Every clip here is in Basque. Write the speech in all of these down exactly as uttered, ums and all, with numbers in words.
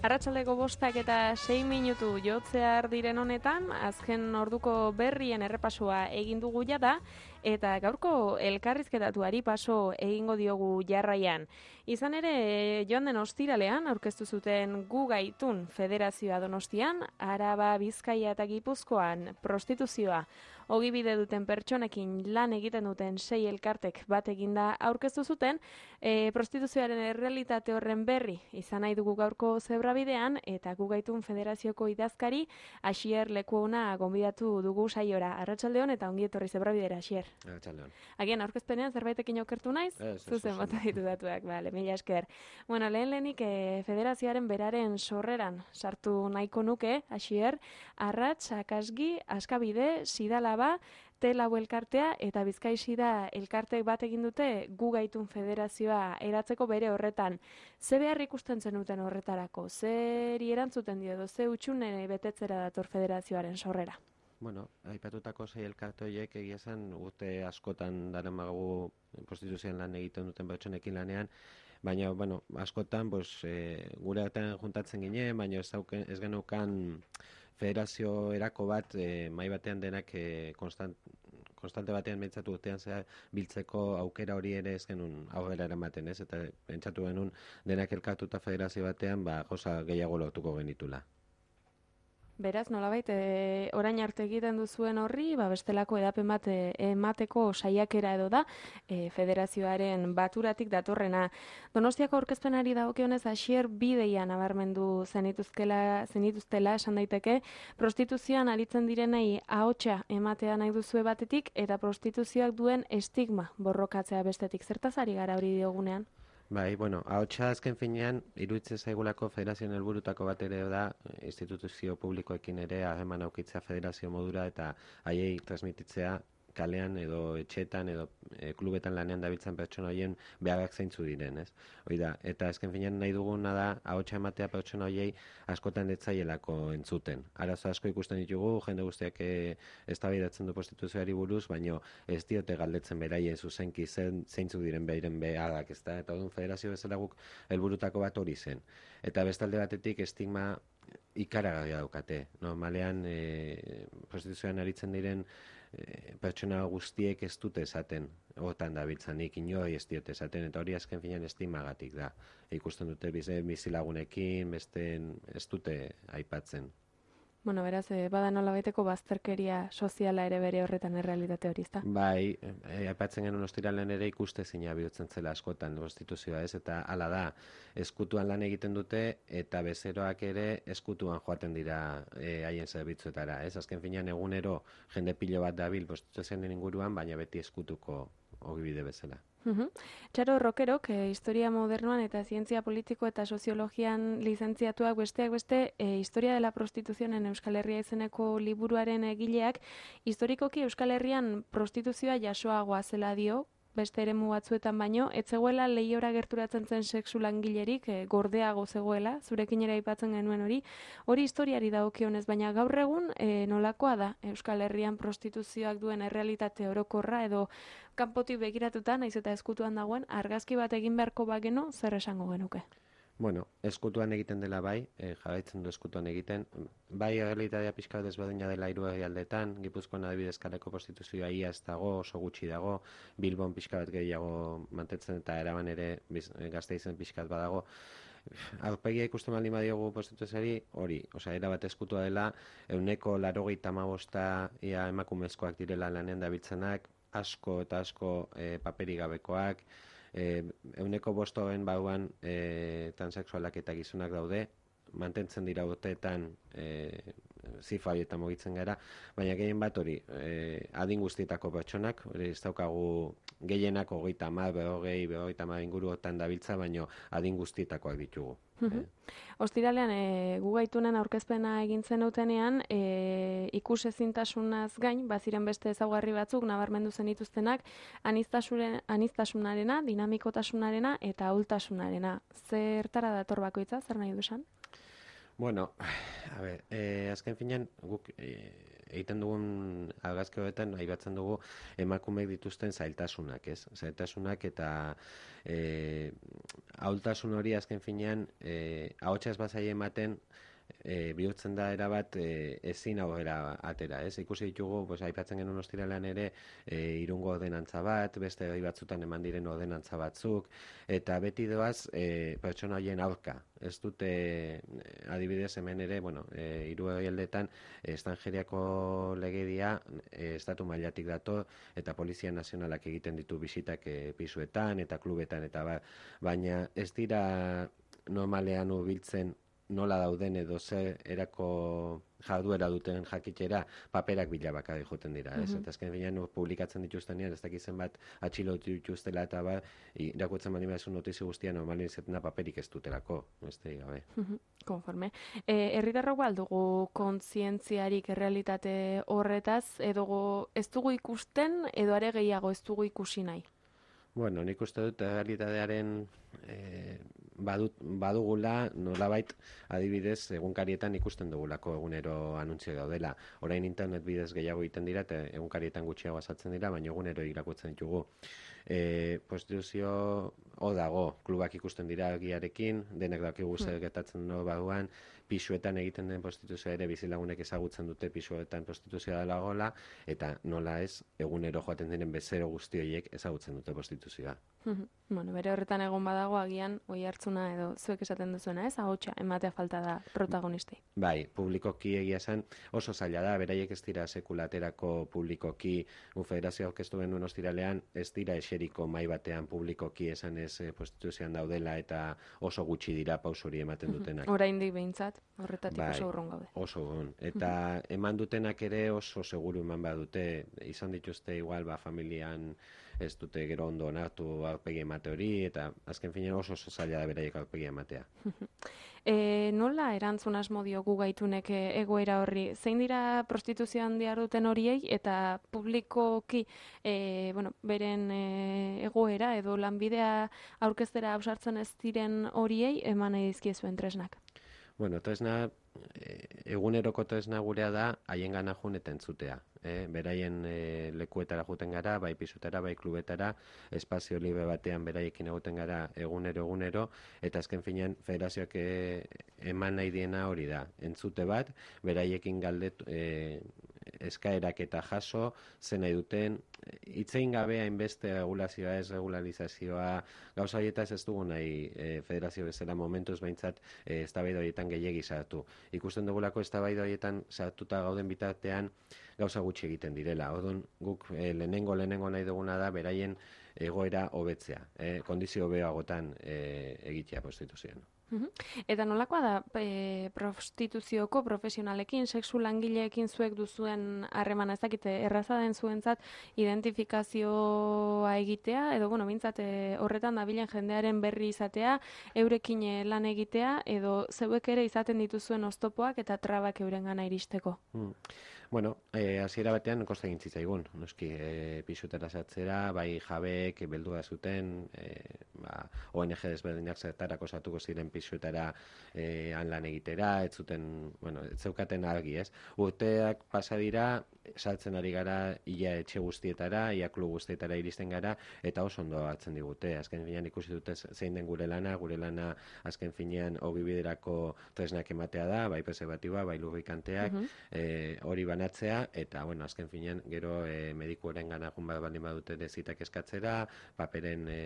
Arratsaldeko bostak eta sei minutu jotzear diren honetan, azken orduko berrien errepasoa egin dugu jada, eta gaurko elkarrizketatuari paso egingo diogu jarraian. Izan ere, joan den ostiralean, aurkeztu zuten Gu Gaitun Federazioa Donostian, Araba, Bizkaia eta Gipuzkoan prostituzioa ogibide duten pertsonekin lan egiten duten sei elkartek bat eginda aurkeztu zuten, e, prostituzioaren errealitate horren berri izan nahi dugu gaurko zebrabidean, eta Gu Gaitun Federazioko idazkari Asier Lekuona gonbidatu dugu saiora. Arratsaldeon eta ongi etorri zebrabidera, Asier. Arratsaldeon. Agian aurkezpenean zerbaitekin okertu naiz? Zuzen bota ditu datuak, bale, mila esker. Bueno, lehen lehenik e, federazioaren beraren sorreran sartu nahiko nuke, Asier, Arrats, Akasgi, Askabide, Sidalaba, Telau elkartea eta Bizkai Sida elkartek bat egin dute Gu Gaitun Federazioa eratzeko bere horretan. Ze behar ikusten zenuten horretarako? Zeri erantzuten dio edo ze utxune betetzera dator federazioaren sorrera? Bueno, aipatutako sei elkarte horiek egia esan urte askotan daramagu prostituzioan lan egiten duten pertsonekin lanean, baina, bueno, askotan, pues, e, gure artean juntatzen ginen, baina ez, auken, ez genukan federazio erako bat, e, mai batean denak e, konstant, konstante batean bentsatu urtean zehar biltzeko aukera hori ere ez genuen aurrera eramaten, ez? Eta pentsatu genuen denak elkartuta federazio batean, ba, gauza gehiago lortuko genitula. Beraz, nolabait, e, orain arte egiten duzuen horri, ba, bestelako edapen bat e, emateko saiakera edo da, e, federazioaren baturatik datorrena. Donostiako aurkezpenari dagokionez, Asier bideia nabarmendu zenituzkela, zenituztela esan daiteke, prostituzioan aritzen direnei ahotsa ematea nahi duzue batetik, eta prostituzioak duen estigma borrokatzea bestetik. Zertaz ari gara hori diogunean? Bai, bueno, ahotsa azken finean, iruditzen zaigulako federazioen helburutako bat ere da, instituzio publikoekin ere harreman aukitzea federazio modura eta haiei transmititzea kalean edo etxetan edo e, klubetan lanean dabiltzan pertsona horien beharrak zeintzu diren, ez? Hoi da, eta azken finean nahi duguna da ahotsa ematea pertsona horiei askotan etzaielako entzuten. Arazo asko ikusten ditugu, jende guztiak e, eztabaidatzen du prostituzioari buruz, baino ez diote galdetzen beraien zuzenki zen, zeintzuk diren beiren beharrak, ez da? Eta orduan federazio bezala guk helburutako bat hori zen. Eta bestalde batetik estigma ikaragarria daukate. Normalean e, prostituzioan aritzen diren e, pertsona guztiek ez dute esaten, hortan dabiltzanik inoi ez diote esaten, eta hori azken finean estigmagatik da. Ikusten dute bizilagunekin, beste ez dute aipatzen. Bueno, beraz, eh, bada nolabaiteko bazterkeria soziala ere bere horretan errealitate hori, ezta? Bai, e, aipatzen genuen ostiralean ere ikustezina bihurtzen zela askotan prostituzioa, ez? Eta hala da, eskutuan lan egiten dute eta bezeroak ere eskutuan joaten dira e, haien zerbitzuetara, ez? Azken finean egunero jende pilo bat dabil prostituzioaren inguruan, baina beti eskutuko ogibide bezala. Uhum. Txaro Rokerok, e, historia modernoan eta zientzia politiko eta soziologian lizentziatuak besteak beste, e, historia dela prostituzioen Euskal Herria izeneko liburuaren egileak, historikoki Euskal Herrian prostituzioa jasoagoa zela dio, beste eremu batzuetan baino, ez zegoela lehiora gerturatzen zen sexu langilerik, e, gordeago zegoela, zurekin ere aipatzen genuen hori, hori historiari dagokionez, baina gaur egun e, nolakoa da Euskal Herrian prostituzioak duen errealitate orokorra edo kanpotik begiratuta, naiz eta eskutuan dagoen, argazki bat egin beharko bageno, zer esango genuke? Bueno, eskutuan egiten dela bai, e, jarraitzen du eskutuan egiten. Bai, errealitatea pixka desberdina dela hiru herrialdetan, Gipuzkoan adibidez kaleko prostituzioa ia ez dago, oso gutxi dago, Bilbon pixka bat gehiago mantetzen eta Araban ere Gasteizen pixka bat badago. Aurpegia ikusten baldin badiogu prostituzioari, hori, osea, erabat eskutua dela, ehuneko laurogeita hamabosta ia emakumezkoak direla lanean dabiltzanak, asko eta asko e, paperik gabekoak, ehuneko bostoen bauan e, transexualak eta gizonak daude, mantentzen dira urteetan e, zifra horietan mugitzen gara, baina gehien bat hori e, adin guztietako pertsonak, hori ez daukagu gehienak hogeita hamar, berrogei, berrogeita hamar inguruotan dabiltza, baina adin guztietakoak ditugu. Uh-huh. eh? Ostiralean, e, Gu Gaitunen aurkezpena egin zenutenean, e, ikusezintasunaz gain, baziren beste ezaugarri batzuk nabarmendu zenituztenak, aniztasunarena, dinamikotasunarena eta ahultasunarena. Zertara dator bakoitza, zer nahi du esan? Bueno, a ber, eh, azken finean, guk eh, egiten dugun argazki horretan aipatzen dugu emakumeek dituzten zailtasunak, ez? Zailtasunak eta e, ahultasun hori azken finean e, ahotsa ez bazaie ematen E, bihurtzen da erabat e, ezin aurrera atera, ez? Ikusi ditugu, pues, aipatzen genuen ostiralean ere e, irungo ordenantza bat, beste gai batzutan eman diren ordenantza batzuk, eta beti doaz e, pertsona horien aurka. Ez dute, adibidez hemen ere, bueno, e, hiru herrialdetan estrangeriako legedia e, estatu mailatik dator, eta Polizia Nazionalak egiten ditu bisitak e, pisuetan eta klubetan, eta ba, baina ez dira normalean hurbiltzen nola dauden edo ze erako jarduera duten jakitera paperak bila bakarrik joten dira, ez? Mhm. Eta azken finean publikatzen dituztenean ez dakizen bat atxilotu dituztela eta ba, irakurtzen bali badezu notizia guztia normalen izetena paperik ez dutelako, beste gabe. Mhm, konforme. E, herritarrok ba aldugu kontzientziarik errealitate horretaz, edo ez dugu ikusten, edo are gehiago ez dugu ikusi nahi? Bueno, nik uste dut realitatearen e, badut, badugula nolabait adibidez egunkarietan ikusten dugulako egunero anuntzio daudela. Orain internet bidez gehiago egiten dira eta egunkarietan gutxiago azaltzen dira, baina egunero irakurtzen ditugu. E, prostituzio hor dago, klubak ikusten dira argiarekin, denak dakigu zer gertatzen no baduan, pisuetan egiten den prostituzioa ere bizilagunek ezagutzen dute pisuetan prostituzioa dela gola, eta nola ez, egunero joaten diren bezero guzti horiek ezagutzen dute prostituzioa. Bueno, bere horretan egon badago agian oi hartzuna edo zuek esaten duzuena, ez? Ahotsa ematea falta da protagonistei. Bai, publikoki egia esan oso zaila da, beraiek ez dira sekulaterako publikoki, gu federazio aurkeztu genuen ostiralean, ez dira eseriko mai batean publikoki esan ez eh, prostituzioan daudela eta oso gutxi dira pausori ematen dutenak. Oraindik behintzat, horretatik Bai, oso urrun gaude. Oso urrun. Eta eman dutenak ere oso seguru eman badute, izan dituzte igual ba familian ez dute gero ondo onartu aurpegi emate hori, eta azken finean oso oso zaila da beraiek aurpegi ematea. E, nola erantzun asmo diogu gaitunek egoera horri? Zein dira prostituzioan diharduten horiei eta publikoki e, bueno, beren e, egoera edo lanbidea aurkeztera ausartzen ez diren horiei eman nahi dizkiezuen tresnak? Bueno, tresna, e, eguneroko tresna gurea da haien gana jun eta entzutea. Eh? Beraien e, lekuetara juten gara, bai pisutara, bai klubetara, espazio libre batean beraiekin egoten gara egunero egunero, eta azken finean federazioak e, eman nahi diena hori da. Entzute bat, beraiekin galdetu, e, eskaerak eta jaso, zen nahi duten, hitzein gabe hainbeste regulazioa ez regularizazioa, gauza horietaz ez dugu nahi e, federazio bezala momentuz behintzat e, eztabaida horietan gehiegi sartu. Ikusten dugulako eztabaida horietan sartuta gauden bitartean gauza gutxi egiten direla. Orduan guk e, lehenengo lehenengo nahi duguna da beraien egoera hobetzea, e, kondizio hobeagotan e, egitea prostituzioan. Eta nolakoa da e, prostituzioko profesionalekin, sexu langileekin zuek duzuen harremana, ez dakite, erraza den zuentzat identifikazioa egitea, edo, bueno, bintzat e, horretan dabilen jendearen berri izatea, eurekin lan egitea, edo zeuek ere izaten dituzuen oztopoak eta trabak eurengana iristeko. Hmm. Bueno, eh, hasiera batean kosta egin zitzaigun, noski, eh, pisutera sartzera, bai jabeek beldua zuten, eh, ba, O N G desberdinak zertarako sartuko ziren pisutera eh, han lan egitera, ez zuten, bueno, ez zeukaten argi, ez? Urteak pasa dira, sartzen ari gara ia etxe guztietara, ia klub guztietara iristen gara, eta oso ondo hartzen digute. Azken finean ikusi dute zein den gure lana, gure lana azken finean ogibiderako tresnak ematea da, bai preservatiboa, bai lubrikanteak, uh -huh. eh, hori banatzea, eta, bueno, azken finean, gero e, medikuaren gana jun bat baldin badute dezitak eskatzera, paperen e,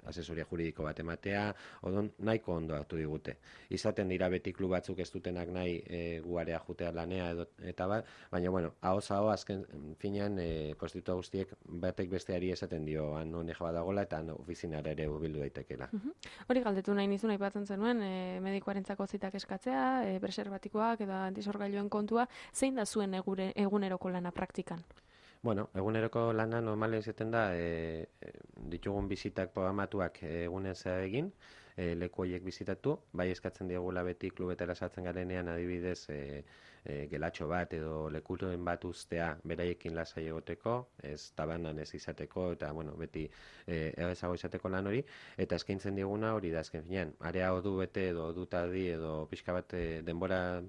asesoria juridiko bat ematea, odon nahiko ondo hartu digute. Izaten dira beti klub batzuk ez dutenak nahi e, guarea jutea lanea edo, eta bat, baina, bueno, ahoz aho azken finean e, prostitua guztiek batek besteari esaten dio han honek badagola eta han ofizinara ere hurbildu daitekela. Uh -huh. Hori galdetu nahi nizun aipatzen zenuen, e, medikuarentzako zitak eskatzea, e, preserbatikoak edo antisorgailuen kontua, zein da zuen egure, eguneroko lana praktikan? Bueno, eguneroko lana normalen izaten da, e, ditugun bizitak programatuak egunen zer egin, e, leku horiek bizitatu, bai eskatzen diegula beti klubetara sartzen garenean adibidez e, e, gelatxo bat edo lekuren bat ustea beraiekin lasai egoteko, ez tabanan ez izateko, eta bueno, beti e, errezago izateko lan hori, eta eskaintzen dieguna hori da azken finean, area ordu bete edo ordu tardi edo pixka bat e, denbora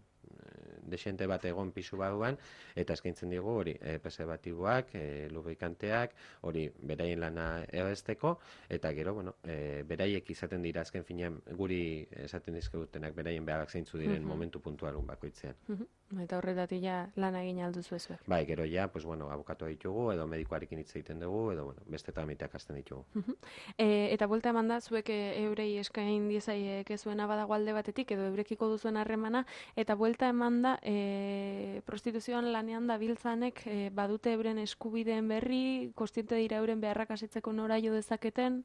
desente bat egon pisu barruan, eta eskaintzen digu hori e, preservatiboak, e, lubrikanteak, hori beraien lana errezteko, eta gero, bueno, e, beraiek izaten dira azken finean guri esaten dizkigutenak beraien beharrak zeintzu diren Mhm. momentu puntualun bakoitzean. Mhm. Eta horretatik ja lana egin alduzu ezuek. Bai, gero ja, pues bueno, abokatu ditugu, edo medikoarekin hitz egiten dugu, edo bueno, beste tramiteak hasten ditugu. E, eta buelta eman da, zuek e, eurei eskain diezaiek zuena badago alde batetik, edo eurekiko duzuen harremana, eta buelta eman da, e, prostituzioan lanean da biltzanek e, badute euren eskubideen berri, kostiente dira euren beharrak asetzeko nora jo dezaketen?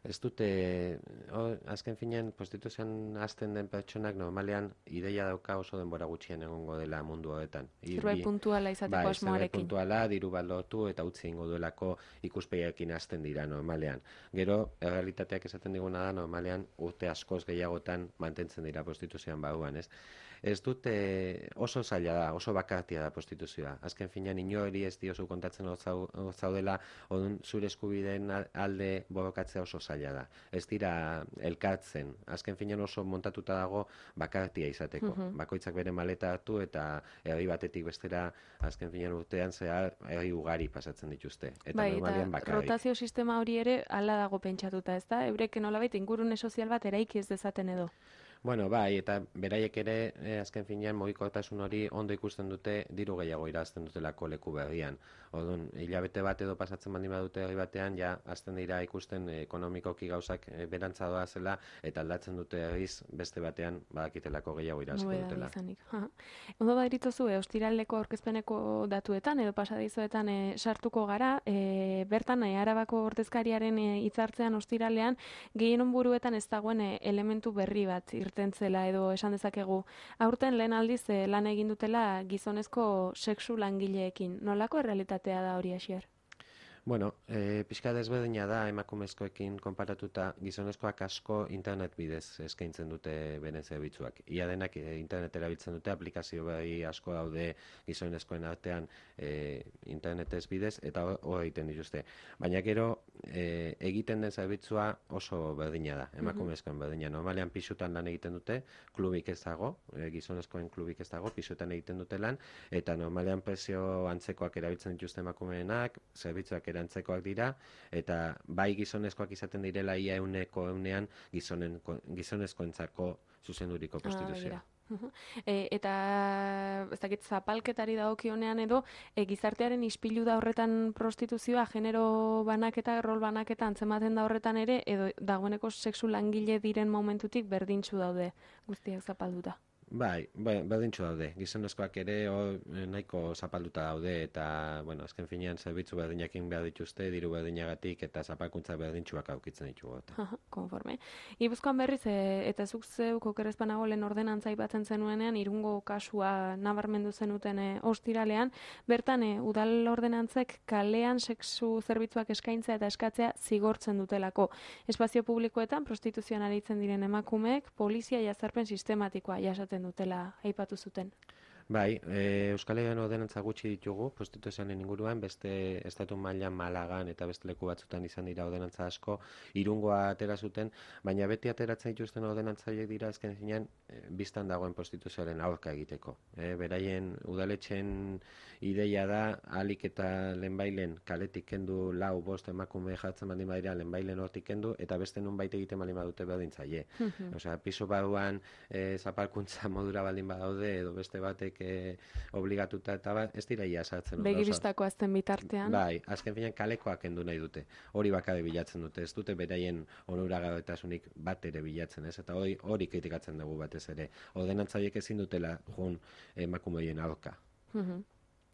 Ez dute, o, azken finean, prostituzioan hasten den pertsonak normalean ideia dauka oso denbora gutxien egongo dela mundu horretan. I- Zerbait bi- puntuala izateko Bai, zerbait asmoarekin. puntuala, diru bat lortu eta utzi egingo duelako ikuspegiarekin hasten dira normalean. Gero, errealitateak esaten diguna da, normalean urte askoz gehiagotan mantentzen dira prostituzioan barruan, ez? Ez dute oso zaila da, oso bakartia da prostituzioa. Azken finean inori ez diozu kontatzen hor zau- hor zaudela, odun zure eskubideen al- alde borrokatzea oso zaila da. Ez dira elkartzen. Azken finean oso montatuta dago bakartia izateko. Mhm. Bakoitzak bere maleta hartu eta herri batetik bestera azken finean urtean zehar herri ugari pasatzen dituzte. Eta Bai, normalean eta bakarrik. rotazio sistema hori ere hala dago pentsatuta, ez da? Eurek nolabait ingurune sozial bat eraiki ez dezaten edo. Bueno, bai, eta beraiek ere eh, azken finean mugikortasun hori ondo ikusten dute diru gehiago irazten dutelako leku berrian. Orduan, hilabete bat edo pasatzen baldin badute herri batean, ja hasten dira ikusten eh, ekonomikoki gauzak eh, berantza doa zela eta aldatzen dute herriz beste batean badakitelako gehiago irazko Nobedade dutela. izanik. Aha. Ondo badituzu, e, ostiraleko aurkezpeneko datuetan edo pasadizoetan e, sartuko gara, e, bertan e, Arabako ordezkariaren e, hitzartzean ostiralean gehienon buruetan ez dagoen e, elementu berri bat irtentzela edo esan dezakegu. Aurten lehen aldiz e, lan egin dutela gizonezko sexu langileekin. Nolako errealitatea da hori, Asier? Bueno, e, pixka desberdina da emakumezkoekin konparatuta gizonezkoak asko internet bidez eskaintzen dute beren zerbitzuak. Ia denak e, internet erabiltzen dute, aplikazio bai asko daude gizonezkoen artean e, internetez bidez, eta hor hor egiten dituzte. Baina gero e, egiten den zerbitzua oso berdina da, emakumezkoen berdina. Normalean pisutan lan egiten dute, klubik ez dago, e, gizonezkoen klubik ez dago, pisutan egiten dute lan, eta normalean prezio antzekoak erabiltzen dituzte emakumeenak, zerbitzuak erantzekoak dira, eta bai gizonezkoak izaten direla ia euneko eunean gizonen, gizonezkoentzako zuzenduriko prostituzioa. Uhum. E, eta ez dakit zapalketari dagokionean edo e, gizartearen ispilu da horretan prostituzioa, genero banaketa, rol banaketa antzematen da horretan ere, edo dagoeneko sexu langile diren momentutik berdintsu daude guztiak zapalduta. Bai, bai, berdintxu daude. Gizonezkoak ere hor nahiko zapalduta daude eta, bueno, azken finean zerbitzu berdinakin behar dituzte, diru berdinagatik eta zapalkuntza berdintxuak aukitzen ditugu. Aha, konforme. Gipuzkoan berriz, e, eta zuk zeuk okerrezpanago lehen ordenantza aipatzen zenuenean, Irungo kasua nabarmendu zenuten e, ostiralean, bertan e, udal ordenantzek kalean sexu zerbitzuak eskaintzea eta eskatzea zigortzen dutelako. Espazio publikoetan prostituzioan aritzen diren emakumeek polizia jazarpen sistematikoa jasaten dutela aipatu zuten. Bai, e, Euskal Herrian ordenantza gutxi ditugu, prostituzioaren inguruan, beste estatu mailan Malagan eta beste leku batzutan izan dira ordenantza asko, Irungoa atera zuten, baina beti ateratzen dituzten ordenantzaileek dira azken finean e, bistan dagoen prostituzioaren aurka egiteko. E, beraien udaletxen ideia da, ahalik eta lehenbailen kaletik kendu lau bost emakume jartzen baldin badira lehenbailen hortik kendu, eta beste nunbait egiten baldin badute berdintzaile. Osea, piso barruan e, zapalkuntza modura baldin badaude, edo beste batek e, obligatuta eta bat, ez dira ia sartzen. Begiristako azten bitartean. Bai, azken finean kalekoak kendu nahi dute. Hori bakare bilatzen dute, ez dute beraien onuragabetasunik bat ere bilatzen, ez? Eta hori hori kritikatzen dugu batez ere. Ordenantzaileek ezin dutela jun emakumeien aurka. Mhm.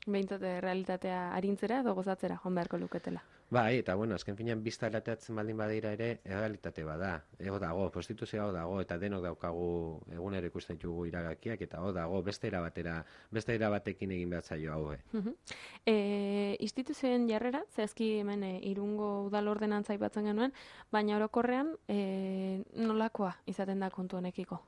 Behintzat realitatea arintzera edo gozatzera joan beharko luketela. Bai, eta bueno, azken finean bizta erateatzen baldin badira ere, errealitate bada. Ego dago, prostituzioa hor dago, eta denok daukagu egunero ikusten ditugu iragakiak, eta hor dago, beste era batera, beste era batekin egin behar zaio hau. Mhm. E, instituzioen jarrera, zehazki hemen e, Irungo udal ordenantza aipatzen genuen, baina orokorrean e, nolakoa izaten da kontu honekiko?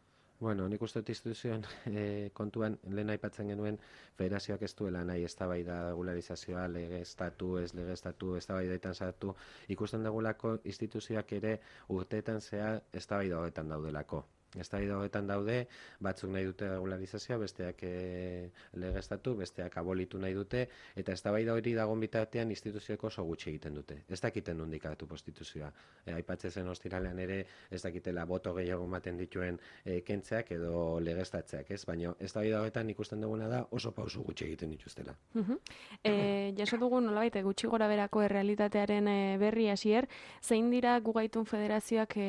Bueno, nik uste dut instituzioen e, kontuan lehen aipatzen genuen federazioak ez duela nahi eztabaida regularizazioa, legeztatu, ez legeztatu, eztabaidetan sartu, ikusten dugulako instituzioak ere urteetan zehar eztabaida horretan daudelako. Eztabaida horretan daude, batzuk nahi dute regularizazioa, besteak e, legeztatu, besteak abolitu nahi dute, eta eztabaida hori dagoen bitartean instituzioeko oso gutxi egiten dute. Ez dakiten nondik hartu prostituzioa. E, Aipatzen zen ostiralean ere, ez dakitela boto gehiago ematen dituen e, kentzeak edo legeztatzeak, ez? Baina eztabaida horretan ikusten duguna da oso pausu gutxi egiten dituztela. Uh-huh. E, jaso dugu nolabait gutxi gora berako errealitatearen e, berri hasier, zein dira Gugaitun Federazioak e,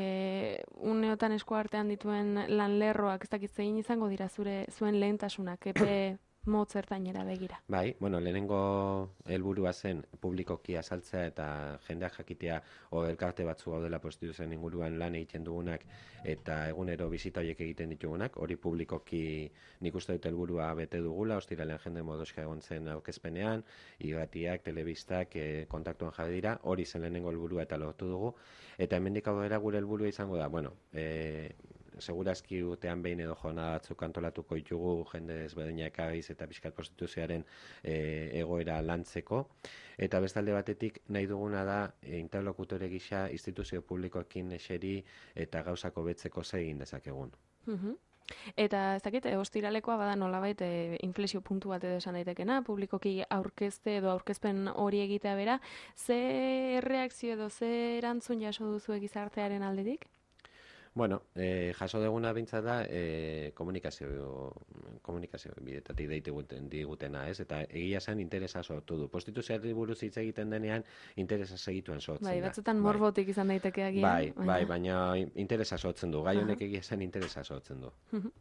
uneotan eskuartean dituen lan lerroak, ez dakit zein izango dira zure zuen lehentasunak, epe motz ertainera begira? Bai, bueno, lehenengo helburua zen publikoki azaltzea eta jendeak jakitea o elkarte batzu gaudela prostituzioen inguruan lan egiten dugunak eta egunero bizita horiek egiten ditugunak, hori publikoki nik uste dut helburua bete dugula, ostiralean jende modoska egon zen aurkezpenean, irratiak, telebistak, e, kontaktuan jarri dira, hori zen lehenengo helburua eta lortu dugu, eta hemendik aurrera gure helburua izango da, bueno, e, segurazki urtean behin edo jornada batzuk antolatuko ditugu jende ezberdinak agiz eta pixkat prostituzioaren e, egoera lantzeko. Eta bestalde batetik nahi duguna da e, interlokutore gisa instituzio publikoekin eseri eta gauzako betzeko zer egin dezakegun. Uh-huh. Eta ez dakit, ostiralekoa bada nolabait e, inflexio puntu bat edo esan daitekena, publikoki aurkezte edo aurkezpen hori egitea bera, ze reakzio edo ze erantzun jaso duzu gizartearen aldetik? Bueno, eh, jaso deguna bintza da eh, komunikazio, komunikazio bidetatik deituguten digutena, ez? Eta egia zen interesa sortu du. Prostituzioari buruz hitz egiten denean interesa segituen sortzen bai, da. Batzutan morbotik izan daiteke agian. Bai, baina... bai, baina interesa sortzen du. Gai honek egia zen interesa sortzen du.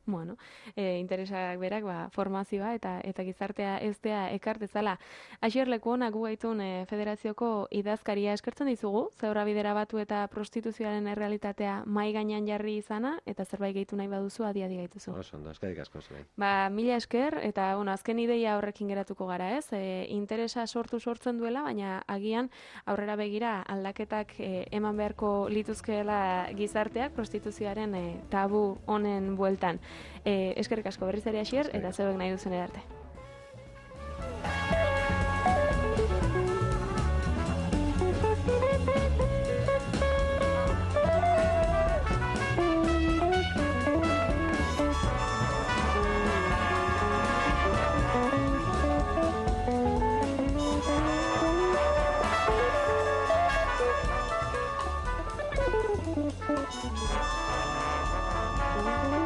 Bueno, e, interesak berak, ba, formazioa eta eta gizartea eztea ekartezala. Asier Lekuona Gugaitun e, Federazioko idazkaria eskertzen dizugu, zeurra bidera batu eta prostituzioaren errealitatea mai gainean jarri izana, eta zerbait gehitu nahi baduzu adiadi gaituzu. Oso ondo, eskerrik asko zuen. Ba, mila esker, eta bueno, azken ideia horrekin geratuko gara, ez? E, interesa sortu sortzen duela, baina agian aurrera begira aldaketak e, eman beharko lituzkeela gizarteak prostituzioaren e, tabu honen bueltan. E, eskerrik asko berriz ere Asier, eta zeuek nahi duzen edarte. Thank you.